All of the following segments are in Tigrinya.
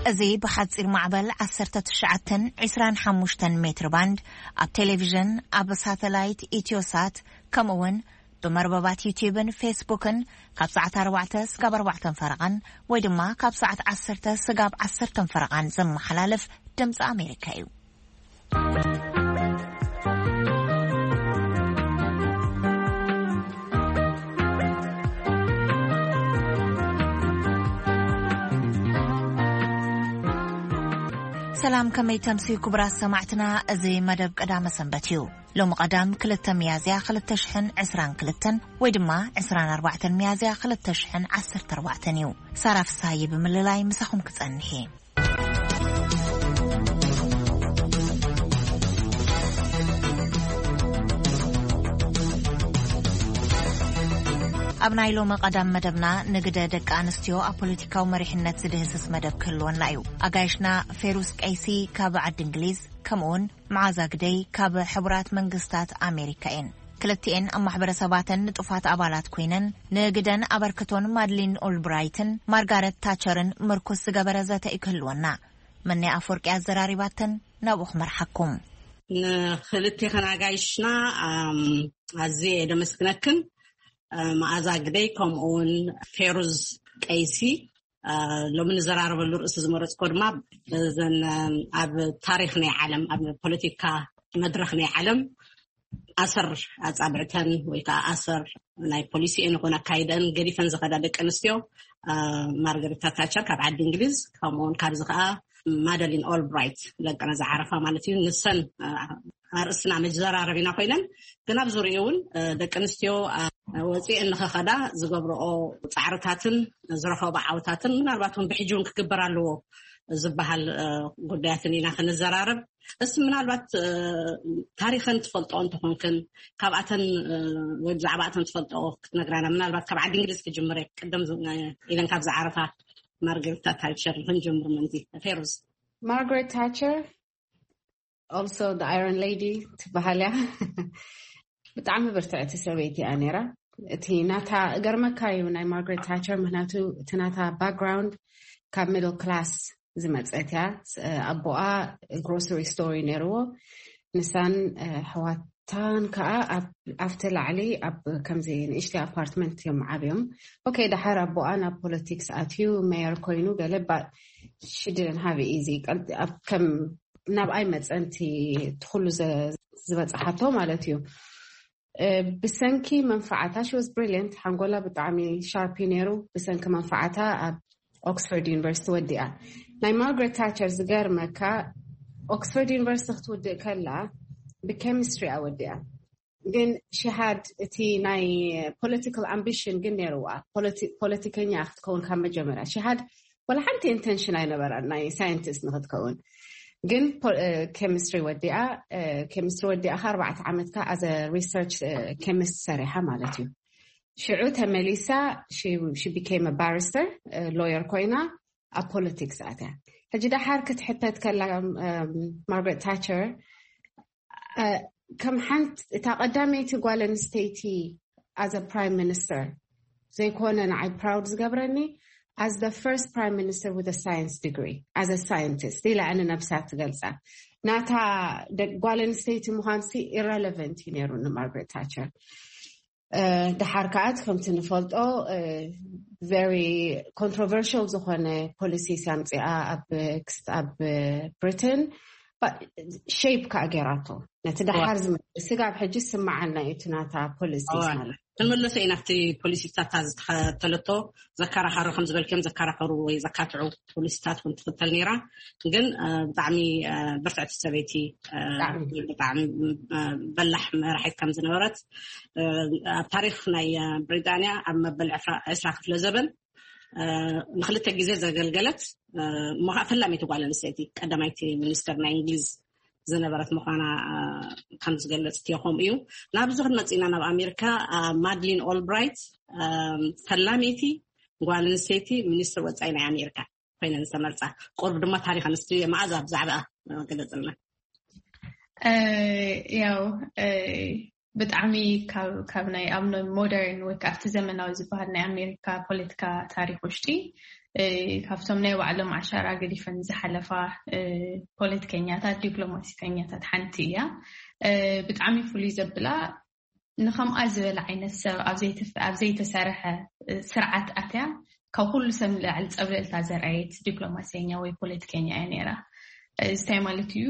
እዚ ብሓጺር ማዕበል ዓሰርተ ትሽዓተን ዕስራን ሓሙሽተን ሜትር ባንድ ኣብ ቴሌቪዥን፣ ኣብ ሳተላይት ኢትዮሳት፣ ከምኡ እውን ብመርበባት ዩቲዩብን ፌስቡክን ካብ ሰዓት ኣርባዕተ ስጋብ ኣርባዕተን ፈረቓን ወይ ድማ ካብ ሰዓት ዓሰርተ ስጋብ ዓሰርተን ፈረቓን ዝመሓላለፍ ድምፂ ኣሜሪካ እዩ። ሰላም፣ ከመይ ተምስዩ ክቡራት ሰማዕትና? እዚ መደብ ቀዳመ ሰንበት እዩ። ሎሚ ቀዳም ክልተ ሚያዝያ ክልተ ሽሕን ዕስራን ክልተን ወይ ድማ ዕስራን ኣርባዕተን ሚያዝያ ክልተ ሽሕን ዓሰርተ ኣርባዕተን እዩ። ሳራ ፍሳሃየ ብምልላይ ምሳኹም ክጸንሕ እየ። ኣብ ናይ ሎሚ ቀዳም መደብና፣ ንግደ ደቂ ኣንስትዮ ኣብ ፖለቲካዊ መሪሕነት ዝድህስስ መደብ ክህልወና እዩ። ኣጋይሽና ፌሩስ ቀይሲ ካብ ዓዲ እንግሊዝ፣ ከምኡውን መዓዛ ግደይ ካብ ሕቡራት መንግስታት ኣሜሪካ እየን። ክልቲኤን ኣብ ማሕበረሰባተን ንጡፋት ኣባላት ኮይነን፣ ንግደን ኣበርክቶን ማድሊን ኦልብራይትን ማርጋረት ታቸርን ምርኩስ ዝገበረ ዘተ እዩ ክህልወና። መኒ ኣፈወርቂ ኣዘራሪባተን፣ ናብኡ ክመርሓኩም። ንክልቴኽን ኣጋይሽና፣ ኣም፣ ኣዝየ እየ ደመስግነክን። እ፣ መኣዛ ግደይ ከምኡውን ፌሩዝ ቀይሲ፣ እ፣ ሎሚ ንዘራረበሉ ርእሲ ዝመረጽኮ ድማ እዘን፣ እ፣ ኣብ ታሪኽ ናይ ዓለም፣ ኣብ ፖለቲካ መድረኽ ናይ ዓለም ኣሰር ኣጻብዕተን ወይ ከዓ ኣሰር ናይ ፖሊሲኤን ይኹን ኣካይደን ገዲፈን ዝኸዳ ደቂ ኣንስትዮ፣ እ፣ ማርገሪታ ታቸር ካብ ዓዲ እንግሊዝ፣ ከምኡውን ካብዚ ከዓ ማደሊን ኦልብራይት ለቀነ ዝዓረፋ ማለት እዩ። ንሰን፣ እ፣ ኣርእስትና መዘራረቢና ኮይነን፣ ግን ኣብ ዙሪኡ እውን፣ እ፣ ደቂ ኣንስትዮ፣ እ፣ ወፂኤን ንኸኸዳ ዝገብርኦ ፃዕርታትን ዝረኸቦ ዓወታትን ምናልባት እውን ብሕጂ እውን ክግበር ኣለዎ ዝበሃል፣ እ፣ ጉዳያትን ኢና ክንዘራረብ። እስ ምናልባት፣ እ፣ ታሪኸን ትፈልጦ እንተኾንክን፣ ካብኣተን፣ እ፣ ወይ ብዛዕባኣተን ትፈልጦ ክትነግራና፣ ምናልባት ካብ ዓዲ እንግሊዝ ክጅምር እየ። ቅድም ዝ-፣ ኢለን ካብ ዝዓረፋ ማርገሪታ ታቸር ክንጅምር ምእንቲ። ፌሩዝ። ማርጋሬት ታቸር፣ also the Iron Lady ትበሃል እያ። ብጣዕሚ ብርትዕቲ ሰበይቲ እያ ነይራ። እቲ ናታ፣ እገርመካ እዩ ናይ ማርጋሬት ታቸር፣ ምክንያቱ እቲ ናታ ባክግራውንድ ካብ ሚድል ክላስ ዝመፀት እያ። ስ-፣ ኣቦኣ ግሮሰሪ ስቶር እዩ ነይርዎ። ንሳን፣ እ፣ ኣሕዋታን ከዓ ኣብ፣ ኣብቲ ላዕሊ ኣብ ከምዚ ንእሽተይ ኣፓርትመንት እዮም ዓብዮም። ኦኬ፣ ደሓር ኣቦኣ ናብ ፖለቲክስ ኣትዩ ሜየር ኮይኑ ገለ፣ but she didn't have it easy። ቀል-፣ ኣብ ከም ናብኣይ መፀንቲ እቲ ኩሉ ዘ-፣ ዝበፅሓቶ ማለት እዩ። እ፣ ብሰንኪ መንፈዓታ፣ she was brilliant፣ ሓንጎላ ብጣዕሚ ሻርፕ እዩ ነይሩ። ብሰንኪ መንፈዓታ ኣብ ኦክስፎርድ ዩኒቨርሲቲ ወዲኣ። ናይ ማርጋሬት ታቸር ዝገርመካ፣ ኦክስፎርድ ዩኒቨርሲቲ ክትውድእ ከላ ብኬሚስትሪ እያ ወዲኣ። ግን she had እቲ ናይ ፖለቲካል ኣምቢሽን ግን ነይርዋ። ፖለቲ-፣ ፖለቲከኛ ክትከውን ካብ መጀመርያ she had፣ ወላ ሓንቲ ኢንተንሽን ኣይነበራን ናይ ሳይንቲስት ንክትከውን። ግን ፖ-፣ እ፣ ኬሚስትሪ ወዲኣ፣ እ፣ ኬሚስትሪ ወዲኣ ከ ኣርባዕተ ዓመት ከ ኣዘ ሪሰርች፣ እ፣ ኬሚስት ሰሪሓ ማለት እዩ። ሽዑ ተመሊሳ፣ she፣ she became a barrister፣ እ፣ ሎየር ኮይና ኣብ ፖለቲክስ ኣትያ። ሕጂ ደሓር ክትሕተት ከላ፣ እም፣ ማርጋሬት ታቸር፣ እ፣ ከም ሓንቲ እታ ቀዳመይቲ ጓል ኣንስተይቲ as a prime minister ዘይኮነ ንዓይ ፕራውድ ዝገብረኒ፣ as the first prime minister with a science degree, as a scientist ኢላ ንነብሳ ትገልጻ። ናታ ደ-፣ ጓል ኣንስተይቲ ምዃንሲ ኢረለቨንት እዩ ነይሩ ንማርጋሬት ታቸር። እ፣ ደሓር ከኣ ከምቲ ንፈልጦ፣ እ፣ ቨሪ ኮንትሮቨርሽል ዝኾነ ፖሊሲስ ኣምጺኣ ኣብ ክስ-፣ ኣብ ብሪትን፣ ባ-፣ ሼፕ ከኣ ጌራቶ። ነቲ ደሓር ዋ። ዝመጽእ ስጋብ ሕጂ ስምዓና እዩ እቲ ናታ ፖሊሲስ ዋ። ማለት። ክንምለሶ ኢና ኣብቲ ፖሊሲታት ዝተኸተለቶ ዘከራኸሩ፣ ከም ዝበልክዮም ዘከራኸሩ ወይ ዘካትዑ ፖሊሲታት እውን ትኽተል ነይራ። ግን፣ እ፣ ብጣዕሚ፣ እ፣ ብርትዕቲ ሰበይቲ፣ እ፣ ብጣዕሚ። ብጣዕሚ፣ እ፣ በላሕ መራሒት ከም ዝነበረት፣ እ፣ ኣብ ታሪኽ ናይ፣ እ፣ ብሪጣንያ ኣብ መበል ዕስራ፣ ዕስራ ክፍለ ዘበን፣ እ፣ ንክልተ ግዜ ዘገልገለት፣ እ፣ እሞ ከዓ ፈላመይቲ ጓል ኣንስተይቲ ቀዳማይቲ ሚኒስትር ናይ እንግሊዝ ዝነበረት ምዃና፣ እ፣ ከም ዝገለጽ እትዮ። ከምኡ እዩ። ናብዚ ክንመጽእ ኢና፣ ናብ ኣሜሪካ። እ፣ ማድሊን ኦልብራይት፣ እ፣ ፈላመይቲ ጓል ኣንስተይቲ ሚኒስትር ወጻኢ ናይ ኣሜሪካ ኮይነን ዝተመርጻ። ቁሩብ ድማ ታሪኽ ኣንስትዮ መኣዛ ብዛዕባኣ፣ እ፣ ገለጽልና። እ፣ ያው፣ እ፣ ብጣዕሚ ካብ፣ ካብ ናይ ኣብ ሞደርን ወይ ከዓ ኣብቲ ዘመናዊ ዝበሃል ናይ ኣሜሪካ ፖለቲካ ታሪኽ ውሽጢ፣ ካብቶም ናይ ባዕሎም ዓሻራ ገዲፈን ዝሓለፋ ፖለቲከኛታት፣ ዲፕሎማሲተኛታት ሓንቲ እያ። ብጣዕሚ ፍሉይ ዘብላ፣ ንከምኣ ዝበለ ዓይነት ሰብ ኣብ ዘይተሰርሐ ስርዓት ኣትያ ካብ ኩሉ ሰብ ንላዕሊ ፀብለልታ ዘርኣየት ዲፕሎማሲኛ ወይ ፖለቲከኛ እያ ነይራ። እዚ እንታይ ማለት እዩ?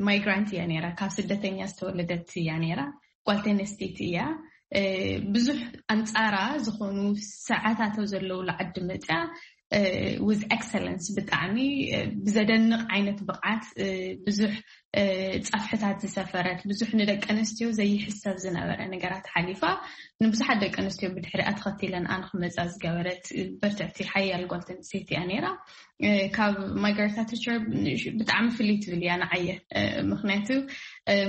ማይግራንት እያ ነይራ፣ ካብ ስደተኛ ዝተወለደት እያ ነይራ። ጓል ተነስተይቲ እያ። ብዙሕ ኣንፃራ ዝኾኑ ሰዓታቶ ዘለውሉ ዓዲ መፅያ with excellence፣ ብጣዕሚ ብዘደንቕ ዓይነት ብቕዓት ብዙሕ ፃፍሕታት ዝሰፈረት፣ ብዙሕ ንደቂ ኣንስትዮ ዘይሕሰብ ዝነበረ ነገራት ሓሊፋ፣ ንብዙሓት ደቂ ኣንስትዮ ብድሕሪኣ ተኸቲለን ኣን ክመፃ ዝገበረት በርትዕቲ ሓያል ጓል ተንስተይቲ እያ ነይራ። ካብ ማርጋሬት ታቸር ብጣዕሚ ፍልይ ትብል እያ ንዓየ። ምክንያቱ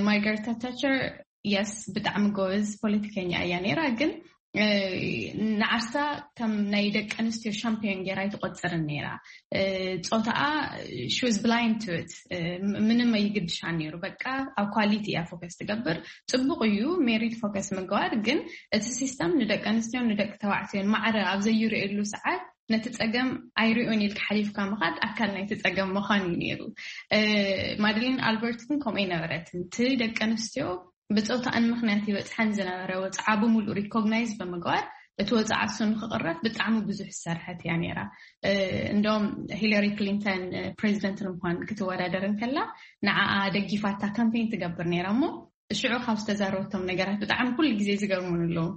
ማርጋሬት ታቸር የስ ብጣዕሚ ጎበዝ ፖለቲከኛ እያ ነይራ፣ ግን ንዓርሳ ከም ናይ ደቂ ኣንስትዮ ሻምፒዮን ገይራ ኣይትቆፅርን ነይራ። ፆታኣ she was blind to it፣ ምንም ኣይግድሻ ነይሩ። በቃ ኣብ ኳሊቲ እያ ፎከስ ትገብር። ፅቡቅ እዩ ሜሪት ፎከስ ምግባር፣ ግን እቲ ሲስተም ንደቂ ኣንስትዮን ንደቂ ተባዕትዮን ማዕረ ኣብ ዘይርእየሉ ሰዓት ነቲ ፀገም ኣይሪኦን ኢልካ ሓሊፍካ ምኻድ ኣካል ናይቲ ፀገም ምዃን እዩ ነይሩ። ማድሊን ኣልበርት ግን ከምኡ ኣይነበረትን። እቲ ደቂ ኣንስትዮ ብፆታኣን ምክንያት ይበፅሐን ዝነበረ ወፅዓ ብምሉእ ሪኮግናይዝ ብምግባር እቲ ወፅዓ እሱ ንክቕረፍ ብጣዕሚ ብዙሕ ዝሰርሐት እያ ነይራ። እንደውም ሂለሪ ክሊንተን ፕሬዚደንት ንምኳን ክትወዳደር እንከላ ንዓኣ ደጊፋታ ካምፔን ትገብር ነይራ እሞ ሽዑ ካብ ዝተዛረበቶም ነገራት ብጣዕሚ ኩሉ ግዜ ዝገርሙን ኣለዉ።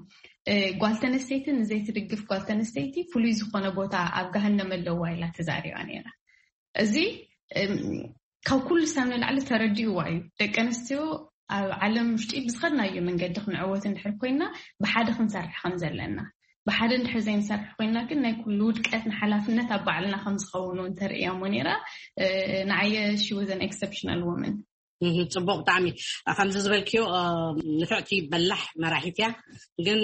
ጓል ተነስተይቲ ንዘይትድግፍ ጓል ተነስተይቲ ፍሉይ ዝኾነ ቦታ ኣብ ገሃነም ኣለዋ ኢላ ተዛሪባ ነይራ። እዚ ካብ ኩሉ ሰብ ንላዕሊ ተረዲእዋ እዩ። ደቂ ኣንስትዮ ኣብ ዓለም ውሽጢ ብዝኸድናዮ መንገዲ ክንዕወት እንድሕር ኮይና ብሓደ ክንሰርሕ ከም ዘለና፣ ብሓደ እንድሕር ዘይንሰርሕ ኮይና ግን ናይ ኩሉ ውድቀት ንሓላፍነት ኣብ ባዕልና ከም ዝኸውን እውን ተርእያ እሞ ነይራ። ንዓየ she was an exceptional woman። ጽቡቅ ብጣዕሚ። ከምዚ ዝበልክዮ ንፍዕቲ በላሕ መራሒት እያ። ግን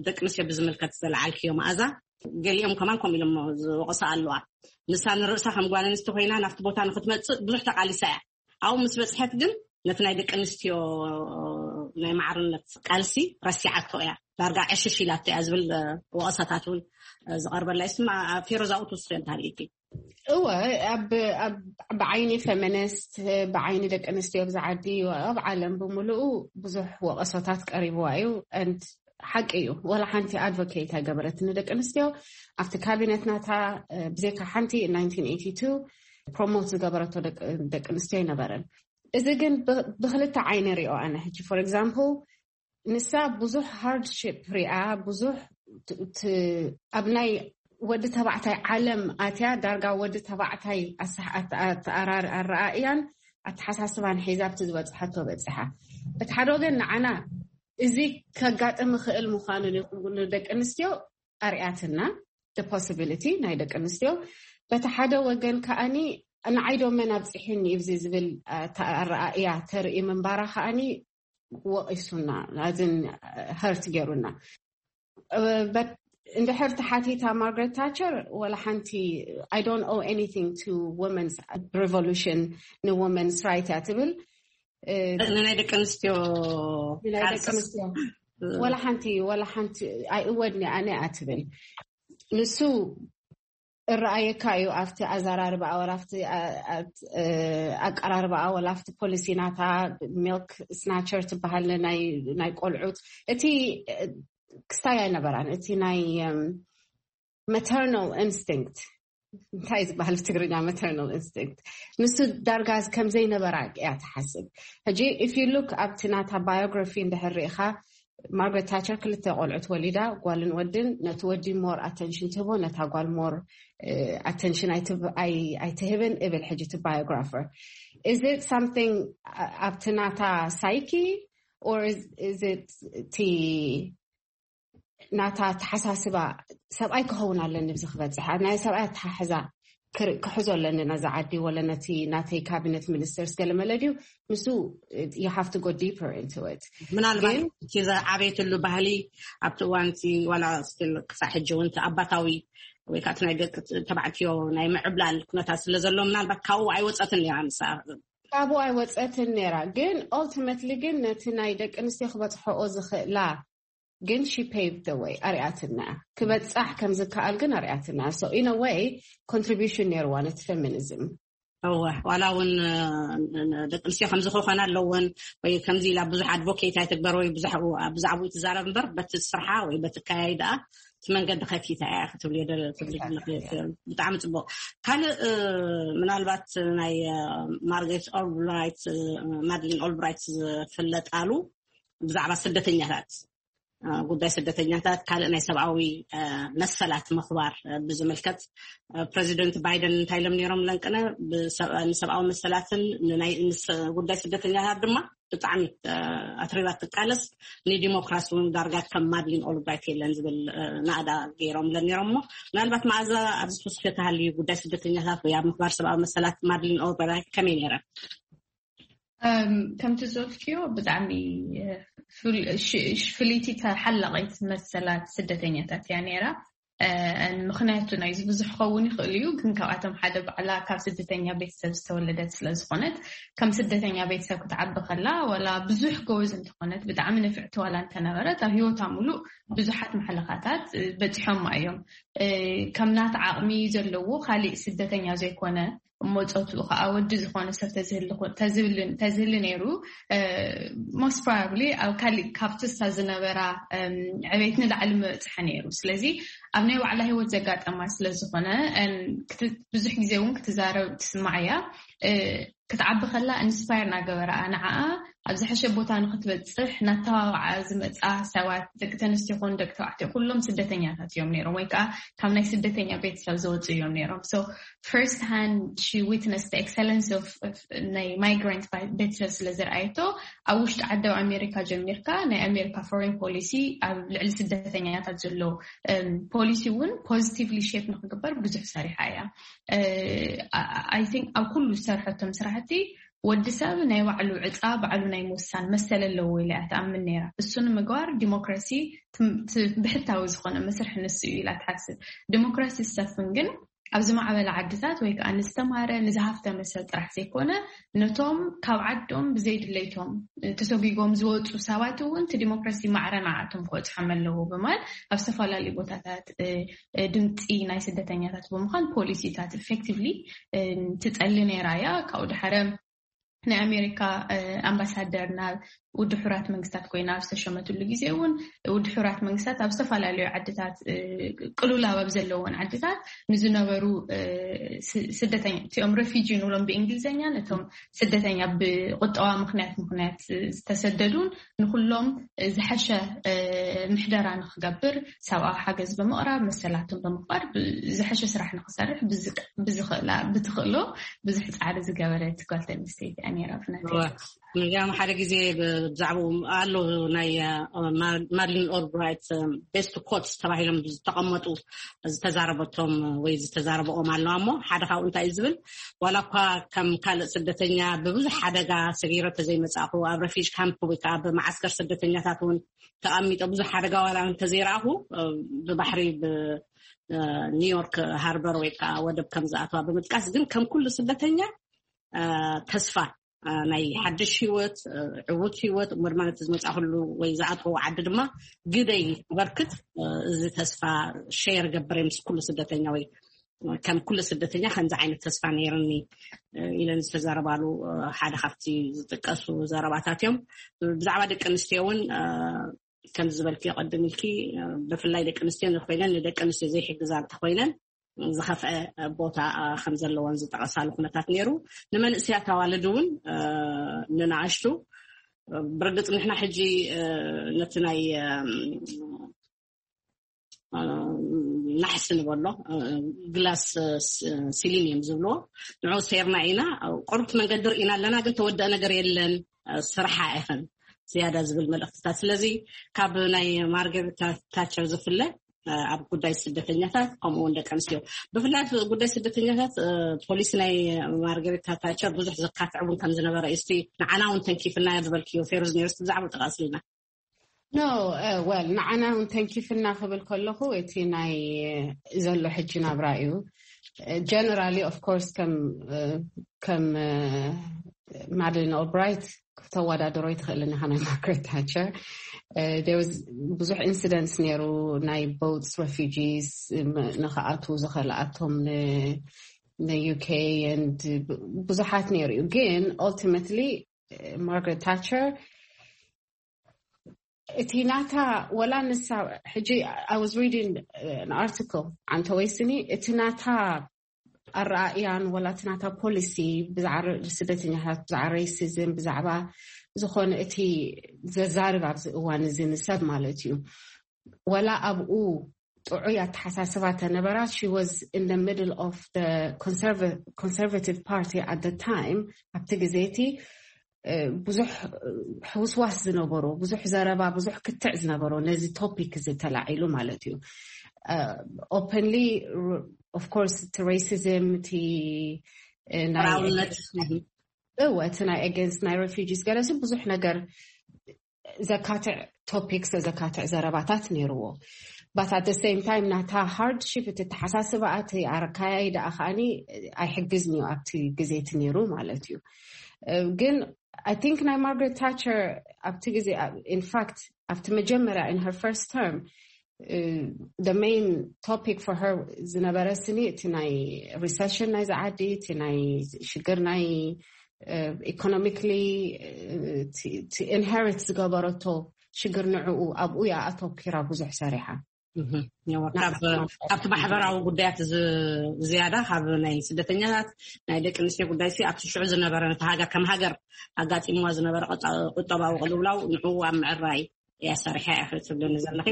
ደቂ ኣንስትዮ ብዝምልከት ዘለዓልክዮ መኣዛ፣ ገሊኦም ከማን ከምኡ ኢሎም ዝወቕሳ ኣለዋ። ንሳ ንርእሳ ከም ጓል ኣንስቲ ኮይና ናብቲ ቦታ ንክትመጽእ ብዙሕ ተቃሊሳ እያ። ኣብኡ ምስ በጽሐት ግን ነቲ ናይ ደቂ ኣንስትዮ ናይ ማዕርነት ቃልሲ ረሲዓቶ እያ፣ ዳርጋ ዕሽሽ ኢላቶ እያ ዝብል ወቐሳታት እውን ዝቐርበላ ይስማ። ፌሮዛኡ ትውስዮ እንታሪእቲ እወ፣ ኣብ ብዓይኒ ፌሚኒስት፣ ብዓይኒ ደቂ ኣንስትዮ ኣብዚ ዓዲ፣ ኣብ ዓለም ብምሉኡ ብዙሕ ወቐሶታት ቀሪብዋ እዩ። ሓቂ እዩ፣ ወላ ሓንቲ ኣድቮኬት ኣይገበረትን ንደቂ ኣንስትዮ። ኣብቲ ካቢነት ናታ ብዘይካ ሓንቲ ፕሮሞት ዝገበረቶ ደቂ ኣንስትዮ ኣይነበረን። እዚ ግን ብክልተ ዓይነ ሪኦ ኣነ ሕጂ for example ንሳ ብዙሕ ሃርድሽፕ ሪኣ፣ ብዙሕ ኣብ ናይ ወዲ ተባዕታይ ዓለም ኣትያ፣ ዳርጋ ወዲ ተባዕታይ ኣረኣእያን ኣተሓሳስባን ሒዛ ኣብቲ ዝበፅሐቶ በፂሓ። በቲ ሓደ ወገን ንዓና እዚ ከጋጥም ይኽእል ምዃኑ ንደቂ ኣንስትዮ ኣርያትና፣ ፖሲቢሊቲ ናይ ደቂ ኣንስትዮ። በቲ ሓደ ወገን ከኣኒ ንዓይ ዶ መን ኣብፂሑኒ እዩ ዝብል ኣረኣእያ ተርኢ ምንባራ ከኣኒ ወቒሱና፣ ኣዝን ሀርት ገይሩና። እንድሕር ተሓቲታ ማርጋሬት ታቸር ወላ ሓንቲ I don't owe anything to women's revolution፣ ን women's right እያ ትብል። ንናይ ደቂ ኣንስትዮ ናይ ደቂ ኣንስትዮ ወላ ሓንቲ ወላ ሓንቲ ኣይእወድኒ ኣነ እያ ትብል። ንሱ እረኣየካ እዩ ኣብቲ ኣዘራርባኣ ወላ ኣብቲ ኣቀራርባኣ ወላ ኣብቲ ፖሊሲ ናታ። ሚልክ ስናቸር ትበሃል ናይ ቆልዑት እቲ ክስታይ ኣይነበራን። እቲ ናይ መተርናል ኢንስቲንክት እንታይ ዝበሃል ብትግርኛ መተርናል ኢንስቲንክት ንሱ ዳርጋ ከምዘይነበራ እያ ትሓስብ። ሕጂ if you look ኣብቲ ናታ ባዮግራፊ እንድሕር ርኢኻ ማርጋሬት ታቸር ክልተ ቆልዑት ወሊዳ ጓልን ወድን። ነቲ ወዲ ሞር ኣተንሽን ትህቦ፣ ነታ ጓል ሞር ኣተንሽን ኣይትህብን እብል። ሕጂ እቲ ባዮግራፈር is it something ኣብቲ ናታ ሳይኪ or is it እቲ ናታ ተሓሳስባ ሰብኣይ ክኸውን ኣለኒ ብዚ ክበፅሕ ናይ ሰብኣይ ኣተሓሕዛ ክሕዞ ኣለኒ ነዛ ዓዲ ወለ ነቲ ናተይ ካቢነት ሚኒስተርስ ገለ መለ ድዩ ንሱ you have to go deeper into it። ምናልባት እቲ ዝዓበየትሉ ባህሊ ኣብቲ እዋን እቲ ዋላ ስቲል ክሳዕ ሕጂ እውን እቲ ኣባታዊ ወይ ከዓ እቲ ናይ ደቂ ተባዕትዮ ናይ ምዕብላል ኩነታት ስለ ዘሎ ምናልባት ካብኡ ኣይወፀትን ነይራ ንሳ። ካብኡ ኣይወፀትን ነይራ፣ ግን ኦልቲመትሊ ግን ነቲ ናይ ደቂ ኣንስትዮ ክበፅሐኦ ዝኽእላ ግን she paved the way፣ ኣርኣያትና እያ። ክበጻሕ ከም ዝከኣል ግን ኣርኣያትና እያ። So in a way contribution ነይርዋ ነቲ feminism። እወ፣ ዋላ እውን ደቂ ኣንስትዮ ከምዚ ክኾና ኣለወን ወይ ከምዚ ኢላ ብዙሕ ኣድቮኬት ኣይትግበር ወይ ብዙሕ ብዛዕባኡ ትዛረብ እምበር፣ በቲ ስርሓ ወይ በቲ ከያይ ደኣ እቲ መንገዲ ከፊታ እያ ክትብል እየ ደለ- ትብል ዘለኺ። ብጣዕሚ ጽቡቕ። ካልእ ምናልባት ናይ ማርጋሬት ኦልብራይት፣ ማድሊን ኦልብራይት ዝፍለጣሉ ብዛዕባ ስደተኛታት፣ ጉዳይ ስደተኛታት፣ ካልእ ናይ ሰብኣዊ መሰላት ምኽባር ብዝምልከት፣ ፕረዚደንት ባይደን እንታይ ኢሎም ነይሮም? ለንቅነ ንሰብኣዊ መሰላትን ጉዳይ ስደተኛታት ድማ ብጣዕሚ ኣትሪባ ትቃለስ፣ ንዲሞክራሲ እውን ዳርጋ ከም ማድሊን ኦልብራይት የለን ዝብል ናእዳ ገይሮም ለን ነይሮም። እሞ ምናልባት መኣዛ ኣብዚ ትውስኪ ተሃልዩ ጉዳይ ስደተኛታት ወይ ኣብ ምኽባር ሰብኣዊ መሰላት ማድሊን ኦልብራይት ከመይ ነይረ? ከምቲ ዝበልክዮ ብጣዕሚ ፍልይቲ ተሓላቒት መሰላት ስደተኛታት እያ ነይራ። ምክንያቱ ናይዚ ብዙሕ ክኸውን ይኽእል እዩ፣ ግን ካብኣቶም ሓደ ባዕላ ካብ ስደተኛ ቤተሰብ ዝተወለደት ስለዝኾነት፣ ከም ስደተኛ ቤተሰብ ክትዓቢ ከላ ዋላ ብዙሕ ጎበዝ እንተኾነት፣ ብጣዕሚ ንፍዕቲ ዋላ እንተነበረት፣ ኣብ ሂወታ ሙሉእ ብዙሓት ማሕለኻታት በፂሖማ እዮም። ከም ናታ ዓቕሚ ዘለዎ ካሊእ ስደተኛ ዘይኮነ፣ እሞ ፆትኡ ከዓ ወዲ ዝኾነ ሰብ ተዝህሊ ነይሩ፣ most probably ኣብ ካሊእ ካብቲ እሳ ዝነበራ ዕቤት ንላዕሊ ምበፅሐ ነይሩ። ስለዚ ኣብ ናይ ባዕላ ሂወት ዘጋጠማ ስለዝኾነ፣ ብዙሕ ግዜ እውን ክትዛረብ ትስማዕ እያ። ክትዓቢ ከላ ኢንስፓየር ናገበረኣ ንዓኣ ኣብ ዝሐሸ ቦታ ንክትበፅሕ ናተባባዓ ዝመፃ ሰባት፣ ደቂ ተንስትዮ ኮኑ ደቂ ተባዕትዮ፣ ኩሎም ስደተኛታት እዮም ነይሮም፣ ወይ ከዓ ካብ ናይ ስደተኛ ቤተሰብ ዝወፁ እዮም ነይሮም። So first hand she witnessed the excellence of ናይ ማይግራንት ቤተሰብ ስለ ዝረኣየቶ፣ ኣብ ውሽጢ ዓዲ ኣብ ኣሜሪካ ጀሚርካ ናይ ኣሜሪካ ፎሬን ፖሊሲ፣ ኣብ ልዕሊ ስደተኛታት ዘሎ ፖሊሲ እውን ፖዚቲቭሊ ሼፕ ንክግበር ብዙሕ ሰሪሓ እያ። I think ኣብ ኩሉ ዝሰርሐቶም ስራሕቲ ወዲ ሰብ ናይ ባዕሉ ዕፃ ባዕሉ ናይ ምውሳን መሰል ኣለዎ ኢላ እያ ትኣምን ነይራ። እሱ ንምግባር ዲሞክራሲ ብሕታዊ ዝኾነ መስርሒ ንሱ እዩ ኢላ ትሓስብ። ዲሞክራሲ ዝሰፍን ግን ኣብ ዝማዕበለ ዓድታት ወይ ከዓ ንዝተማረ ንዝሃፍተመ ሰብ ጥራሕ ዘይኮነ፣ ነቶም ካብ ዓዶም ብዘይድለይቶም ተሰጒጎም ዝወፁ ሰባት እውን እቲ ዲሞክራሲ ማዕረ ንዓቶም ክበፅሖም ኣለዎ ብምባል ኣብ ዝተፈላለዩ ቦታታት ድምፂ ናይ ስደተኛታት ብምዃን ፖሊሲታት ኢፌክቲቭሊ ትፀሊ ነይራ እያ። ካብኡ ድሓረ ናይ ኣሜሪካ ኣምባሳደር ናብ ውድብ ሕቡራት መንግስታት ኮይና ኣብ ዝተሸመትሉ ግዜ እውን ውድብ ሕቡራት መንግስታት ኣብ ዝተፈላለዩ ዓድታት ቅሉላብ ኣብ ዘለዎን ዓድታት ንዝነበሩ ስደተኛ እቲኦም ረፊጂ ንብሎም ብእንግሊዝኛ ነቶም ስደተኛ ብቁጠባ ምክንያት ምክንያት ዝተሰደዱን ንኩሎም ዝሐሸ ምሕደራ ንክገብር ሰብኣዊ ሓገዝ ብምቕራብ መሰላቶም ብምኽባር ዝሐሸ ስራሕ ንክሰርሕ ብትኽእሎ ብዙሕ ፃዕሪ ዝገበረት ጓል ኣንስተይቲ እያ ነይራ ብናተይ። ንዚኣም ሓደ ግዜ ብዛዕባኡ ኣሎ ናይ ማድሊን ኦልብራይት ቤስት ኮትስ ተባሂሎም ዝተቐመጡ ዝተዛረበቶም ወይ ዝተዛረበኦም ኣለዋ እሞ ሓደ ካብኡ እንታይ እዩ ዝብል ዋላ እኳ ከም ካልእ ስደተኛ ብብዙሕ ሓደጋ ሰጊረ ተዘይመፃእኩ ኣብ ረፊጅ ካምፕ ወይ ከዓ ብመዓስከር ስደተኛታት እውን ተቐሚጦ ብዙሕ ሓደጋ ዋላ እንተዘይረኣኹ ብባሕሪ ብኒውዮርክ ሃርበር ወይ ከዓ ወደብ ከም ዝኣተዋ ብምጥቃስ ግን ከም ኩሉ ስደተኛ ተስፋ ናይ ሓድሽ ህይወት ዕዉት ህይወት እሞ ድማ ነቲ ዝመፃእኩሉ ወይ ዝኣተወ ዓዲ ድማ ግደይ ክበርክት እዚ ተስፋ ሸር ገብረ ምስ ኩሉ ስደተኛ ወይ ከም ኩሉ ስደተኛ ከምዚ ዓይነት ተስፋ ነይርኒ ኢለን ዝተዘረባሉ ሓደ ካብቲ ዝጥቀሱ ዘረባታት እዮም። ብዛዕባ ደቂ ኣንስትዮ እውን ከም ዝበልክዮ ቅድም ኢልኪ ብፍላይ ደቂ ኣንስትዮ እንተኮይነን ንደቂ ኣንስትዮ ዘይሕግዛ እንተኮይነን ዝኸፍአ ቦታ ከም ዘለዎን ዝጠቐሳሉ ኩነታት ነይሩ። ንመንእሰያት ኣዋልድ እውን ንንኣሽቱ ብርግፅ ንሕና ሕጂ ነቲ ናይ ናሕሲ ንበሎ ግላስ ሲሊኒየም ዝብልዎ ንዑ ሴርና ኢና። ቁሩብቲ መንገዲ ርኢና ኣለና፣ ግን ተወደአ ነገር የለን፣ ስርሓ ኢኽን ዝያዳ ዝብል መልእኽትታት። ስለዚ ካብ ናይ ማርገሪታ ታቸር ዝፍለ ኣብ ጉዳይ ስደተኛታት ከምኡ እውን ደቂ ኣንስትዮ ብፍላይ ጉዳይ ስደተኛታት ፖሊሲ ናይ ማርገሪታ ታቸር ብዙሕ ዘካትዕ እውን ከም ዝነበረ እዩ። እስቲ ንዓና እውን ተንኪፍና ዝበልክዮ ፌሩዝ ነይሩ፣ እስቲ ብዛዕባ ጠቃስልና። ኖ ወል ንዓና እውን ተንኪፍና ክብል ከለኹ እቲ ናይ ዘሎ ሕጂ ናብራ እዩ። ጀነራሊ ኦፍ ኮርስ ከም ከም ማድሊን ኦልብራይት ክተወዳደሮ ኣይትኽእልን ኢኻ ናይ ማርጋሬት ታቸር። ብዙሕ ኢንሲደንትስ ነይሩ፣ ናይ ቦትስ ሬፊጂስ ንክኣትዉ ዝኸልኣቶም ንዩኬ፣ ብዙሓት ነይሩ እዩ። ግን ኦልቲመትሊ ማርጋሬት ታቸር እቲ ናታ፣ ወላ ንሳ፣ ሕጂ I was reading an article ዓንተ ወይስኒ፣ እቲ ናታ ኣረኣእያን ወላ እቲ ናታ ፖሊሲ ብዛዕባ ስደተኛታት፣ ብዛዕባ ሬሲዝም፣ ብዛዕባ ዝኾነ እቲ ዘዛርብ ኣብዚ እዋን እዚ ንሰብ ማለት እዩ፣ ወላ ኣብኡ ጥዑይ ኣተሓሳስባ ተነበራ። She was in the middle of the conservative party at the time። ኣብቲ ግዜ እቲ ብዙሕ ሕውስዋስ ዝነበሮ፣ ብዙሕ ዘረባ፣ ብዙሕ ክትዕ ዝነበሮ ነዚ ቶፒክ እዚ ተላዒሉ ማለት እዩ። ኦፐንሊ ኦፍኮርስ እቲ ሬሲዝም፣ እቲ ናይ እወ እቲ ናይ ኣገንስት ናይ ሬፊጂስ ገለሲ ብዙሕ ነገር ዘካትዕ ቶፒክስ፣ ዘካትዕ ዘረባታት ነይርዎ። But at the same time ናታ ሃርድሺፕ፣ እቲ ተሓሳስባ፣ እቲ ኣረካያይ ደኣ ከዓኒ ኣይሕግዝን እዩ ኣብቲ ግዜ እቲ ነይሩ ማለት እዩ። ግን I think ናይ ማርጋሬት ታቸር ኣብቲ ግዜ፣ ኢንፋክት ኣብቲ መጀመርያ in her first term the main topic for her ዝነበረ ስኒ እቲ ናይ ሪሰሽን ናይ ዝዓዲ፣ እቲ ናይ ሽግር ናይ ኢኮኖሚክሊ ኢንሄሪት ዝገበረቶ ሽግር ንዕኡ ኣብኡ እያ ኣተኪራ ብዙሕ ሰሪሓ። ካብቲ ማሕበራዊ ጉዳያት ዝያዳ ካብ ናይ ስደተኛታት ናይ ደቂ ኣንስትዮ ጉዳይ ሲ ኣብቲ ሽዑ ዝነበረ ነቲ ሃገር ከም ሃገር ኣጋጢምዋ ዝነበረ ቁጠባዊ ቅልውላው ንዕኡ ኣብ ምዕራይ እያ ሰሪሓ እያ ክትብልኒ ዘለኺ።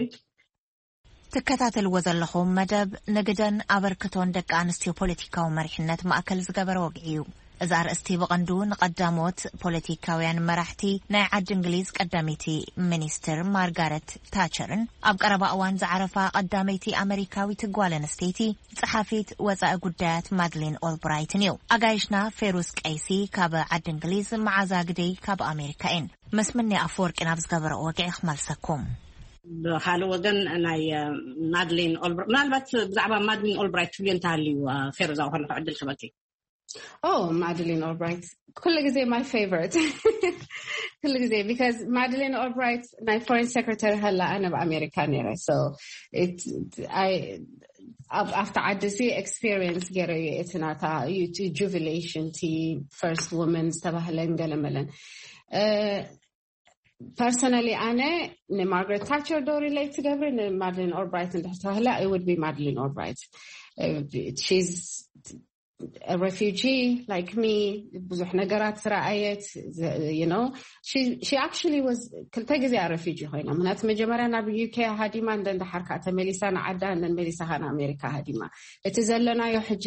ትከታተልዎ ዘለኹም መደብ ንግደን ኣበርክቶን ደቂ ኣንስትዮ ፖለቲካዊ መሪሕነት ማእከል ዝገበረ ወግዒ እዩ። እዚ ኣርእስቲ ብቐንዱ ንቐዳሞት ፖለቲካውያን መራሕቲ ናይ ዓዲ እንግሊዝ ቀዳመይቲ ሚኒስትር ማርጋረት ታቸርን ኣብ ቀረባ እዋን ዝዓረፋ ቀዳመይቲ ኣመሪካዊት ጓል ኣንስተይቲ ጸሓፊት ወጻኢ ጉዳያት ማድሊን ኦልብራይትን እዩ። ኣጋይሽና ፌሩስ ቀይሲ ካብ ዓዲ እንግሊዝ፣ መዓዛ ግደይ ካብ ኣሜሪካ እየን። መስምኒ ኣፈወርቂ ናብ ዝገበረኦ ወግዒ ክመልሰኩም። ብካልእ ወገን ናይ ማድሊን ኦልብራይት፣ ምናልባት ብዛዕባ ማድሊን ኦልብራይት ትብልዮ እንተሃልዩ ፌሩዝ፣ ኣብኡ ከለኹ ዕድል ክበኪ። ኦ ማድሊን ኦልብራይት ኩሉ ግዜ my favorite ኩሉ ግዜ፣ because ማድሊን ኦልብራይት ናይ ፎሬን ሴክሬታሪ ሃላ ኣነ ኣብ ኣሜሪካ ነይረ። So ኣብቲ ዓዲ ሲ ኤክስፒሪየንስ ገይረ እዩ። እቲ ናታ ጁቢሌሽን፣ ቲ ፈርስት ወመን ዝተባህለን ገለመለን። ፐርሰናሊ ኣነ ንማርጋሬት ታቸር ዶ ሪሌት ትገብሪ ንማድሊን ኦልብራይት እንድሕር ተባህለ፣ I would be ማድሊን ኦልብራይት። She's refugee like me፣ ብዙሕ ነገራት ዝረኣየት። You know, she actually was ክልተ ግዜ ያ ሬፊጂ ኮይና። ምክንያቱ መጀመርያ ናብ ዩኬ ሃዲማ፣ እንደ እንዳሓርካ ተመሊሳ ንዓዳ፣ እንደ መሊሳ ካ ንኣሜሪካ ሃዲማ። እቲ ዘለናዮ ሕጂ፣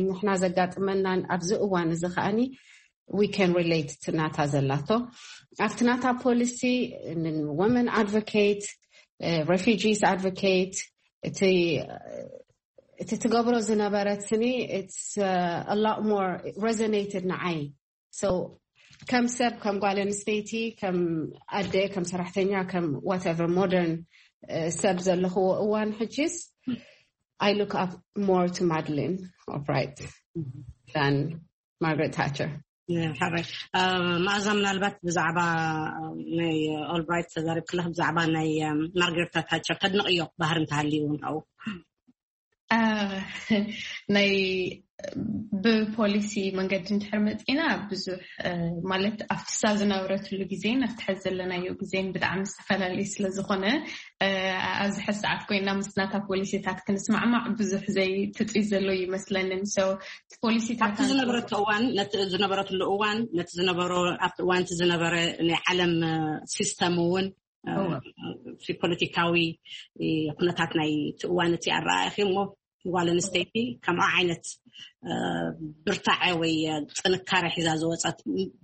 ንሕና ዘጋጥመናን ኣብዚ እዋን እዚ ከዓኒ we can relate ናታ ዘላቶ ኣብቲ ናታ ፖሊሲ፣ women advocate፣ refugees advocate፣ እቲ እቲ ትገብሮ ዝነበረት ስኒ it's a lot more resonated ንዓይ። So ከም ሰብ፣ ከም ጓል ኣንስተይቲ፣ ከም ኣደ፣ ከም ሰራሕተኛ፣ ከም whatever modern ሰብ ዘለኽዎ እዋን ሕጂስ I look up more to ማድሊን ኦልብራይት than ማርጋሬት ታቸር። ሓራይ መኣዛ፣ ምናልባት ብዛዕባ ናይ ኦልብራይት ተዛሪብ ክለኽ ብዛዕባ ናይ ማርጋሬት ታቸር ተድንቕዮ ባህሪ እንተሃልዩ እውን ካብኡ ናይ ብፖሊሲ መንገዲ እንድሕር መፂና ብዙሕ ማለት ኣብቲ ሳ ዝነብረትሉ ግዜን ኣብቲ ሕዚ ዘለናዮ ግዜን ብጣዕሚ ዝተፈላለዩ ስለዝኾነ ኣብዚ ሕዚ ሰዓት ኮይና ምስ ናታ ፖሊሲታት ክንስማዕማዕ ብዙሕ ዘይትፅይ ዘሎ ይመስለንን። So እቲ ፖሊሲታት ኣብቲ ዝነበረቶ እዋን ነቲ ዝነበረትሉ እዋን ነቲ ዝነበሮ ኣብቲ እዋን እቲ ዝነበረ ናይ ዓለም ሲስተም እውን ፖለቲካዊ ኩነታት ናይ እቲ እዋን እቲ ኣረኣእኺ እሞ ጓል ኣንስተይቲ ከምኣ ዓይነት ብርታዐ ወይ ጥንካረ ሒዛ ዝወፀት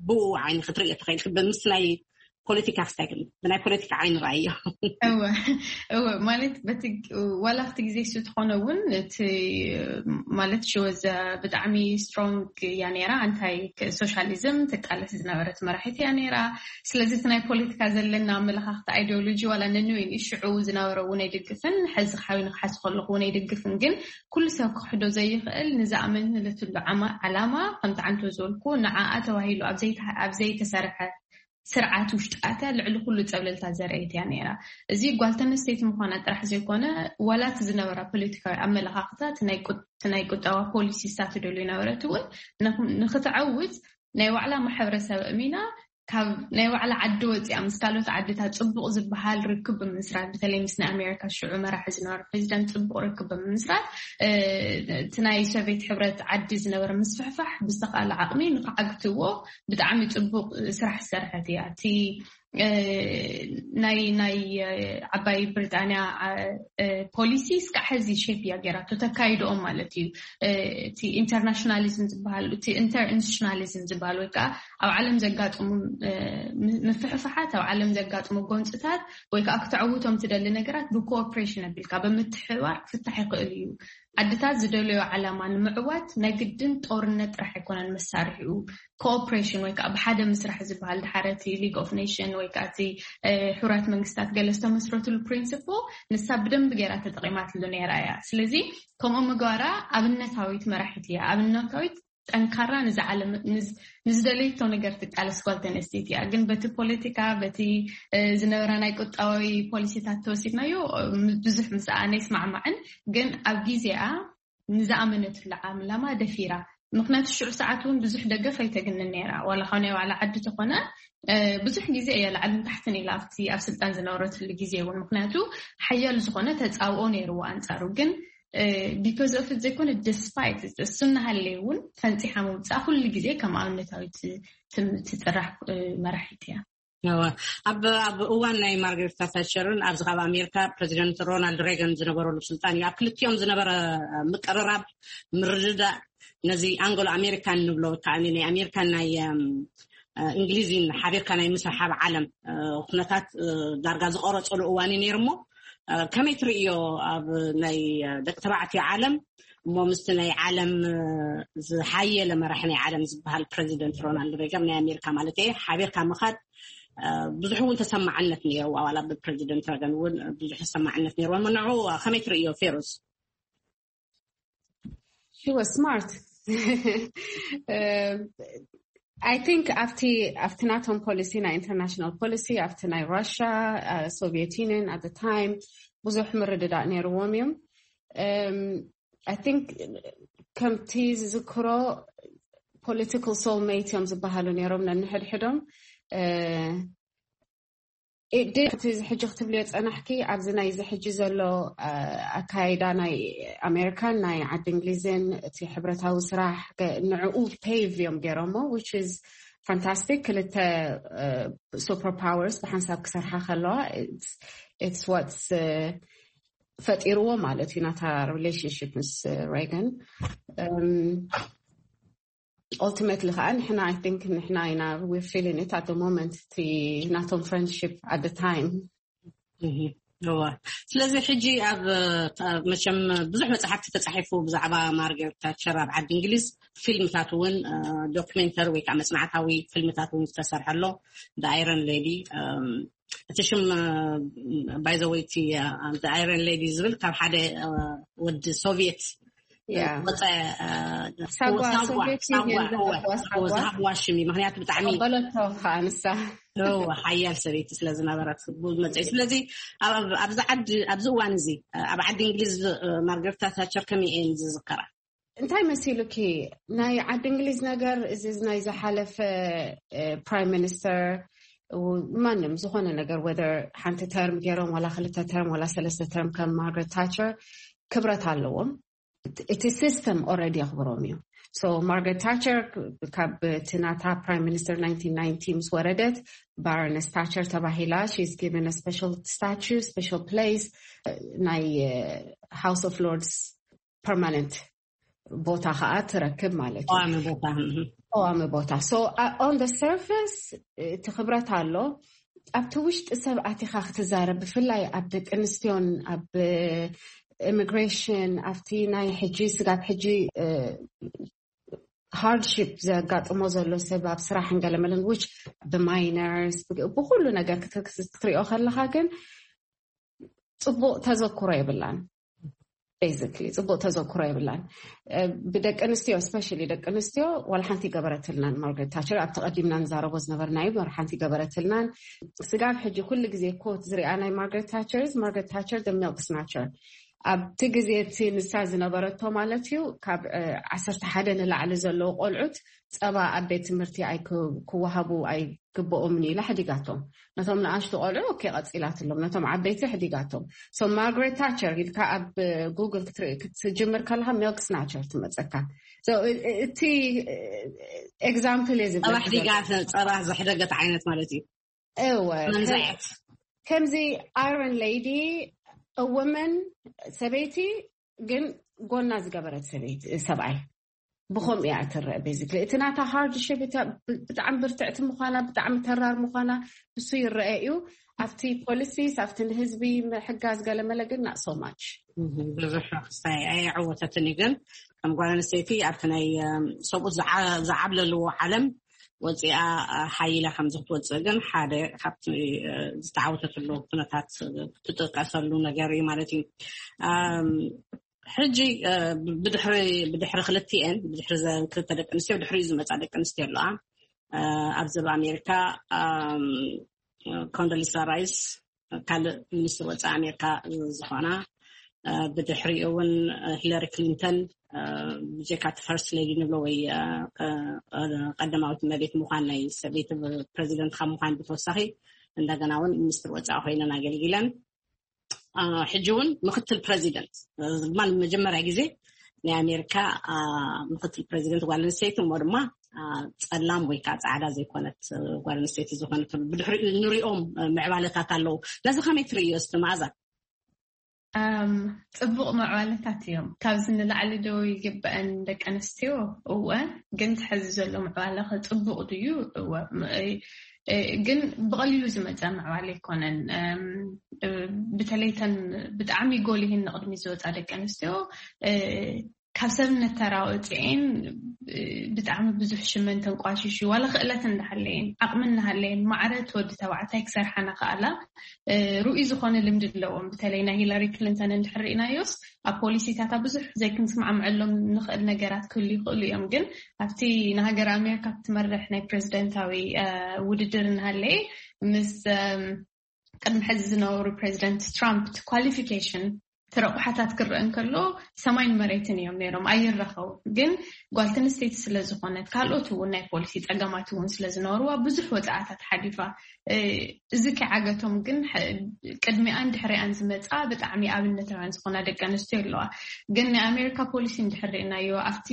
ብኡ ዓይኒ ክትርእዮ ትኽእል ብምስላይ ፖለቲካ ክስታይ ግን ብናይ ፖለቲካ ዓይኒ ረኣዮ። እወ እወ ማለት በቲ ዋላ ኣብቲ ግዜ እሱ ትኾነ እውን እቲ ማለት ሽወዘ ብጣዕሚ ስትሮንግ እያ ነይራ። እንታይ ሶሻሊዝም ትቃለስ ዝነበረት መራሒት እያ ነይራ። ስለዚ እቲ ናይ ፖለቲካ ዘለና ኣመለኻኽቲ ኣይዲዮሎጂ ዋላ ነንወይን ሽዑ ዝነበረ እውን ኣይድግፍን፣ ሕዚ ሓዊ ንክሓስ ከለኹ እውን ኣይድግፍን። ግን ኩሉ ሰብ ክክሕዶ ዘይኽእል ንዝኣመንለትሉ ዓማ- ዓላማ ከምቲ ዓንቶ ዝበልኩ ንዓኣ ተባሂሉ ኣብ ዘይተ- ኣብ ዘይተሰርሐ ስርዓት ውሽጣተ ልዕሊ ኩሉ ጸብለልታ ዘርእየት እያ ነይራ። እዚ ጓል ተነስተይቲ ምዃና ጥራሕ ዘይኮነ ዋላ እቲ ዝነበራ ፖለቲካዊ ኣመለኻኽታ እቲ ናይ ቁ- እቲ ናይ ቁጠባ ፖሊሲ ስታት ደሉ ይነበረት እውን ንኽ- ንክትዓውት ናይ ባዕላ ማሕበረሰብ እሚና ካብ ናይ ባዕላ ዓዲ ወፂኣ ምስ ካልኦት ዓድታት ፅቡቕ ዝበሃል ርክብ ብምስራት በተለይ ምስ ናይ ኣሜሪካ ሽዑ መራሒ ዝነበረ ፕሬዚደንት ፅቡቕ ርክብ ብምስራት እቲ ናይ ሶቪየት ሕብረት ዓዲ ዝነበረ ምስፍሕፋሕ ብዝተኻለ ዓቕሚ ንክዓግትዎ ብጣዕሚ ፅቡቕ ስራሕ ዝሰርሐት እያ። እቲ ናይ ናይ ዓባይ ብሪጣንያ ፖሊሲ እስካዕ ሕዚ ሼፕ እያ ገይራቶ ተካይድኦም ማለት እዩ። እቲ ኢንተርናሽናሊዝም ዝበሃል እቲ ኢንተርኢንስቲቱሽናሊዝም ዝበሃል ወይ ከዓ ኣብ ዓለም ዘጋጥሙ ምፍሕፍሓት ኣብ ዓለም ዘጋጥሙ ጎንፅታት ወይ ከዓ ክተዕውቶም ትደሊ ነገራት ብኮኦፕሬሽን ኣቢልካ ብምትሕባር ክፍታሕ ይኽእል እዩ። ዓድታት ዝደለዮ ዓላማ ንምዕዋት ናይ ግድን ጦርነት ጥራሕ ኣይኮነን መሳርሒኡ። ኮኦፕሬሽን ወይ ከዓ ብሓደ ምስራሕ ዝበሃል ድሓረቲ ሊግ ኦፍ ኔሽን ወይ ከዓ እቲ ሕቡራት መንግስታት ገለ ዝተመስረትሉ ፕሪንስፕ ንሳ ብደንብ ገይራ ተጠቂማትሉ ነይራ እያ። ስለዚ ከምኡ ምግባራ ኣብነታዊት መራሒት እያ። ኣብነታዊት ጠንካራ ንዝዓለም ንዝደለይቶ ነገር ትቃለስ ጓል ተነስተይቲ እያ። ግን በቲ ፖለቲካ በቲ ዝነበራ ናይ ቁጣዊ ፖሊሲታት ተወሲድናዮ ብዙሕ ምስኣነ ይስማዕማዕን ግን ኣብ ግዜኣ ንዝኣመነትሉ ዓላማ ደፊራ። ምክንያቱ ሽዑ ሰዓት እውን ብዙሕ ደገፍ ኣይተግንን ነይራ ዋላ ካብ ናይ ባዕላ ዓዲ ተኾነ ብዙሕ ግዜ እያ ላዕልን ታሕትን ኢላ ኣብቲ ኣብ ስልጣን ዝነበረትሉ ግዜ እውን ምክንያቱ ሓያል ዝኾነ ተፃብኦ ነይርዎ ኣንፃሩ ግን because of it ዘይኮነ despite እሱ እናሃለየ እውን ፈንፂሓ ምውፃእ ኩሉ ግዜ ከም ኣብነታዊት ትፅራሕ መራሒት እያ። ኣብ ኣብ እዋን ናይ ማርጋሬት ታቸርን ኣብዚ ካብ ኣሜሪካ ፕሬዚደንት ሮናልድ ሬገን ዝነበረሉ ስልጣን እዩ ኣብ ክልቲኦም ዝነበረ ምቅርራብ ምርድዳእ ነዚ ኣንጎሎ ኣሜሪካን ንብሎ ከዓ ናይ ኣሜሪካን ናይ እንግሊዝን ሓቢርካ ናይ ምስራሕ ዓለም ኩነታት ዳርጋ ዝቆረፀሉ እዋን እዩ ነይሩ እሞ ከመይ ትርእዮ ኣብ ናይ ደቂ ተባዕትዮ ዓለም እሞ ምስቲ ናይ ዓለም ዝሓየለ መራሒ ናይ ዓለም ዝበሃል ፕሬዚደንት ሮናልድ ሬገን ናይ ኣሜሪካ ማለት እየ ሓቢርካ ምኻድ ብዙሕ እውን ተሰማዕነት ነይርዋ ዋላ ብፕሬዚደንት ረገን እውን ብዙሕ ተሰማዕነት ነይርዋ ንዑ ከመይ ትርእዮ ፌሮዝ? She was smart. I think ኣብቲ ኣብቲ ናቶም ፖሊሲ ናይ ኢንተርናሽናል ፖሊሲ ኣብቲ ናይ ራሽያ ሶቪየት ዩኒየን ኣት ታይም ብዙሕ ምርድዳእ ነይርዎም እዮም። I think ከምቲ ዝዝክሮ political soulmate እዮም ዝበሃሉ ነይሮም ነንሕድሕዶም። እቲ ሕጂ ክትብልዮ ፀናሕኪ ኣብዚ ናይዚ ሕጂ ዘሎ ኣካይዳ ናይ ኣሜሪካን ናይ ዓዲ እንግሊዝን እቲ ሕብረታዊ ስራሕ ንዕኡ ፔቭ እዮም ገይሮሞ which is fantastic። ክልተ super powers ብሓንሳብ ክሰርሓ ከለዋ it's what's ፈጢርዎ ማለት እዩ ናታ relationship ምስ ሬገን። Ultimately ከዓ ንሕና I think ንሕና ኢና we're feeling it at the moment እቲ ናቶም friendship at the time። እዋ ስለዚ ሕጂ ኣብ መቸም ብዙሕ መፅሓፍቲ ተፃሒፉ ብዛዕባ ማርጋሬት ታቸር ኣብ ዓዲ እንግሊዝ ፊልምታት እውን documentary ወይ ከዓ መፅናዕታዊ ፊልምታት እውን ዝተሰርሐ ኣሎ። The Iron Lady እቲ ሽም by the way እቲ Iron Lady ዝብል ካብ ሓደ ወዲ ሶቪየት ወፀ ዝሃብዋ ሽም እዩ ምክንያቱ ብጣዕሚ ሓያል ሰበይቲ ስለዝነበረት መፀ ስለዚ ኣብዚ ዓዲ ኣብዚ እዋን እዚ ኣብ ዓዲ እንግሊዝ ማርጋሬት ታቸር ከመይ እየን ዝዝከራ? እንታይ መሲሉኪ ናይ ዓዲ እንግሊዝ ነገር እዚ ናይ ዝሓለፈ ፕራይም ሚኒስተር ማንም ዝኾነ ነገር whether ሓንቲ ተርም ገይሮም ዋላ ክልተ ተርም ዋላ ሰለስተ ተርም ከም ማርጋሬት ታቸር ክብረት ኣለዎም። እቲ system already የኽብሮም እዩ። So ማርጋሬት ታቸር ካብ እቲ ናታ ፕራይም ሚኒስተር nineteen ninety ምስ ወረደት ባሮነስ ታቸር ተባሂላ she's given a special statue special place ናይ House of Lords permanent ቦታ ከዓ ትረክብ ማለት እዩ። ቀዋሚ ቦታ so on the surface እቲ ክብረት ኣሎ። ኣብቲ ውሽጢ ሰብ ኣቲኻ ክትዛረብ፣ ብፍላይ ኣብ ደቂ ኣንስትዮን ኣብ ኢሚግሬሽን፣ ኣብቲ ናይ ሕጂ ስጋብ ሕጂ ሃርድሺፕ ዘጋጥሞ ዘሎ ሰብ ኣብ ስራሕን ገለመለን፣ which ብማይነርስ ብኩሉ ነገር ክትሪኦ ከለካ ግን ፅቡቅ ተዘክሮ የብላን። ቤዚክሊ ፅቡቅ ተዘክሮ የብላን። ብደቂ ኣንስትዮ፣ ስፔሻሊ ደቂ ኣንስትዮ ዋላ ሓንቲ ገበረትልናን። ማርገሬት ታቸር ኣብ ተቐዲምና ንዛረቦ ዝነበርና እዩ። ዋላ ሓንቲ ገበረትልናን። ስጋብ ሕጂ ኩሉ ግዜ ኮት ዝሪኣ ናይ ማርገሬት ታቸር፣ ማርገሬት ታቸር ደ ሚልክ ስናቸር። ኣብቲ ግዜ እቲ ንሳ ዝነበረቶ ማለት እዩ፣ ካብ ዓሰርተ ሓደ ንላዕሊ ዘለዉ ቆልዑት ፀባ ኣብ ቤት ትምህርቲ ኣይክወሃቡ ኣይግብኦምን ኢላ ሕዲጋቶም። ነቶም ንኣሽቱ ቆልዑ ኦኬ ቀፂላትሎም፣ ነቶም ዓበይቲ ሕዲጋቶም። ሶ ማርግሬት ታቸር ኢልካ ኣብ ጉግል ክትርኢ ክትጅምር ከለካ ሚልክ ስናቸር ትመፀካ። እቲ ኤግዛምፕል እየ ዝብለካ። ጸባ ዘሕደገት ዓይነት ማለት እዩ። እወ መንዛየት ከምዚ ኣይረን ሌዲ፣ ወመን፣ ሰበይቲ ግን ጎና ዝገበረት ሰበይቲ ሰብኣይ ብኸምኡ እያ እትረአ። ቤዚክሊ እቲ ናታ ሃርድሽፕ ብጣዕሚ ብርትዕቲ ምዃና፣ ብጣዕሚ ተራር ምዃና እሱ ይረአ እዩ። ኣብቲ ፖሊሲስ ኣብቲ ንህዝቢ ምሕጋዝ ገለመለ ግን not so much። ብዙሕ ክስታይ ኣይዕወተትን እዩ። ግን ከም ጓል ኣንስተይቲ ኣብቲ ናይ ሰብኡት ዝዓብለልዎ ዓለም ወፂኣ ሓይላ ከምዚ ክትወፅእ ግን ሓደ ካብቲ ዝተዓወተትሉ ኩነታት ትጥቀሰሉ ነገር እዩ ማለት እዩ። ሕጂ ብድሕሪ ብድሕሪ ክልቲኤን ብድሕሪ ክልተ ደቂ ኣንስትዮ ብድሕሪኡ ዝመፃ ደቂ ኣንስትዮ ኣለዋ። ኣብዚ ኣብ ኣሜሪካ ኮንዶሊሳ ራይስ ካልእ ሚኒስትር ወፃኢ ኣሜሪካ ዝኾና፣ ብድሕሪኡ እውን ሂለሪ ክሊንተን ብጀካ እቲ ፈርስት ሌዲ ንብሎ ወይ ቀዳማዊት እመቤት ምዃን ናይ ሰበይቲ ፕረዚደንት ካብ ምዃን ብተወሳኺ እንደገና እውን ሚኒስትር ወፃኢ ኮይነን ኣገልጊለን። ሕጂ እውን ምክትል ፕረዚደንት ድማ ንመጀመርያ ግዜ ናይ ኣሜሪካ ምክትል ፕረዚደንት ጓል ኣንስተይቲ እሞ ድማ ፀላም ወይ ከዓ ፃዕዳ ዘይኮነት ጓል ኣንስተይቲ ዝኾነት ብድሕሪኡ ንሪኦም ምዕባለታት ኣለዉ። ነዚ ከመይ ትርእዮ እስቲ መኣዛ? ፅቡቕ ምዕባለታት እዮም። ካብዚ ንላዕሊ ዶ ይግበአን ደቂ ኣንስትዮ? እወ። ግን ትሕዚ ዘሎ ምዕባለ ከ ፅቡቕ ድዩ? እወ። ግን ብቐሊሉ ዝመፀ ምዕባለ ኣይኮነን። ብተለይተን ብጣዕሚ ጎሊህን ንቕድሚ ዝወፃ ደቂ ኣንስትዮ ካብ ሰብነት ተራ ወፅኤን ብጣዕሚ ብዙሕ ሽመን ተንቋሽሹ ዋላ ክእለት እንዳሃለየን ዓቕሚ እናሃለየን ማዕረ እቲ ወዲ ተባዕታይ ክሰርሓ ናኸኣላ ርኡይ ዝኾነ ልምዲ ኣለዎም። በተለይ ናይ ሂላሪ ክሊንተን እንድሕር ርኢናዮስ ኣብ ፖሊሲታታ ብዙሕ ዘይክንስማዕምዐሎም ንኽእል ነገራት ክህሉ ይኽእሉ እዮም። ግን ኣብቲ ንሃገር ኣሜሪካ ክትመርሕ ናይ ፕረዚደንታዊ ውድድር እናሃለየ ምስ ቅድሚ ሕዚ ዝነበሩ ፕረዚደንት ትራምፕ ኳሊፊኬሽን እቲ ረቑሓታት ክረአ እንከሎ ሰማይን መሬትን እዮም ነይሮም፣ ኣይራኸቡን። ግን ጓል ኣንስተይቲ ስለ ዝኾነት ካልኦት እውን ናይ ፖሊሲ ፀገማት እውን ስለ ዝነበርዋ ብዙሕ ወፃእታት ሓሊፋ። እዚ ከይዓገቶም ግን ቅድሚኣን ድሕሪኣን ዝመፃ ብጣዕሚ ኣብነታውያን ዝኾና ደቂ ኣንስትዮ ኣለዋ። ግን ናይ ኣሜሪካ ፖሊሲ እንድሕር ርኢናዮ ኣብቲ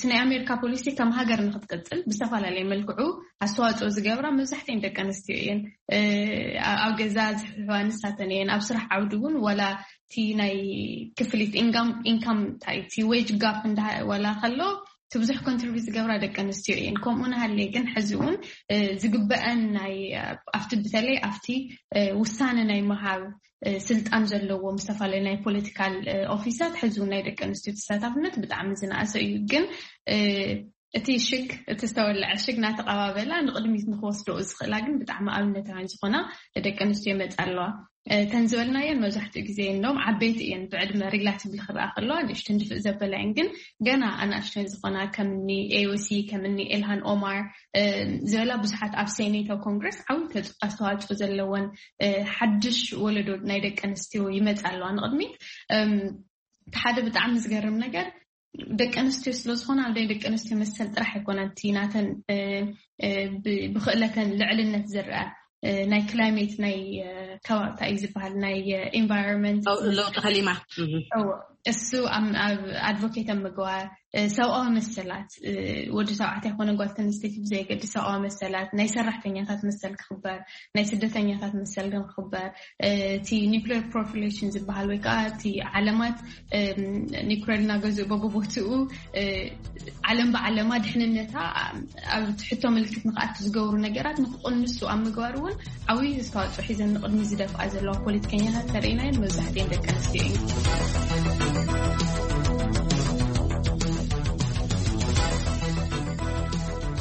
እቲ ናይ ኣሜሪካ ፖሊሲ ከም ሃገር ንክትቅፅል ብዝተፈላለየ መልክዑ ኣስተዋፅኦ ዝገብራ መብዛሕትኤን ደቂ ኣንስትዮ እየን። ኣብ ገዛ ዝሕዋ ንሳተን እየን። ኣብ ስራሕ ዓውዲ እውን ዋላ እቲ ናይ ክፍሊት ኢንካም ኢንካም እንታይ እቲ ዌጅ ጋፕ እንዳ ዋላ ከሎ እቲ ብዙሕ ኮንትሪቢዩት ዝገብራ ደቂ ኣንስትዮ እየን። ከምኡ ናሃለየ ግን ሕዚ እውን ዝግበአን ናይ ኣብቲ በተለይ ኣብቲ ውሳነ ናይ ምሃብ ስልጣን ዘለዎም ዝተፈላለዩ ናይ ፖለቲካል ኦፊሳት ሕዚ እውን ናይ ደቂ ኣንስትዮ ተሳታፍነት ብጣዕሚ ዝነኣሰ እዩ። ግን እቲ ሽግ እቲ ዝተወለዐ ሽግ ናተቐባበላ ንቕድሚት ንክወስደኡ ዝኽእላ ግን ብጣዕሚ ኣብነታውያን ዝኾና ደቂ ኣንስትዮ ይመፃ ኣለዋ። እተን ዝበልናየን መብዛሕትኡ ግዜ እኖም ዓበይቲ እየን ብዕድመ ሪላቲቭሊ ክረኣ ከለዋ ንእሽተን ድፍእ ዘበላ እየን። ግን ገና ኣናእሽተን ዝኾና ከምኒ ኤኦሲ ከምኒ ኤልሃን ኦማር ዝበላ ብዙሓት ኣብ ሴኔት ኣብ ኮንግረስ ዓብይ ኣስተዋፅኦ ዘለወን ሓድሽ ወለዶ ናይ ደቂ ኣንስትዮ ይመፃ ኣለዋ ንቕድሚት። ሓደ ብጣዕሚ ዝገርም ነገር ደቂ ኣንስትዮ ስለ ዝኾና ኣብ ናይ ደቂ ኣንስትዮ መሰል ጥራሕ ኣይኮነን እቲ ናተን ብክእለተን ልዕልነት ዝረአ ናይ ክላይሜት ናይ ከባብታ እዩ ዝበሃል ናይ ኤንቫይሮንመንት ለውጢ ከሊማ እሱ ኣብ ኣድቮኬት ኣብ ምግባር ሰብኣዊ መሰላት፣ ወዲ ተባዕታይ ኮነ ጓል ተንስተይቲ ብዘየገድስ ሰብኣዊ መሰላት፣ ናይ ሰራሕተኛታት መሰል ክኽበር፣ ናይ ስደተኛታት መሰል ግን ክኽበር፣ እቲ ኒክሌር ፕሮፊሌሽን ዝበሃል ወይ ከዓ እቲ ዓለማት ኒክሌር እናገዝኡ በብቦትኡ ዓለም ብዓለማ ድሕንነታ ኣብ ትሕቶ ምልክት ንክኣቱ ዝገብሩ ነገራት ንክቕንሱ ኣብ ምግባር እውን ዓብዪ ኣስተዋፅኦ ሒዘን ንቕድሚ ዝደፍኣ ዘለዋ ፖለቲከኛታት ተርእናየን መብዛሕትኤን ደቂ ኣንስትዮ እዩ።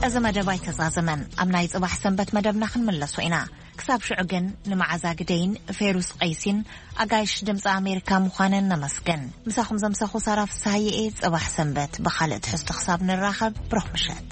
እዚ መደብ ኣይተዛዘመን። ኣብ ናይ ጽባሕ ሰንበት መደብና ክንምለሶ ኢና። ክሳብ ሽዑ ግን ንመዓዛ ግደይን ፌሩስ ቀይሲን ኣጋይሽ ድምፂ ኣሜሪካ ምዃነን ነመስግን። ምሳኹም ዘምሰኹ ሳራ ፍስሃየ እየ። ጽባሕ ሰንበት ብኻልእ ትሕዝቶ ክሳብ ንራኸብ ብሩኽ ምሸት።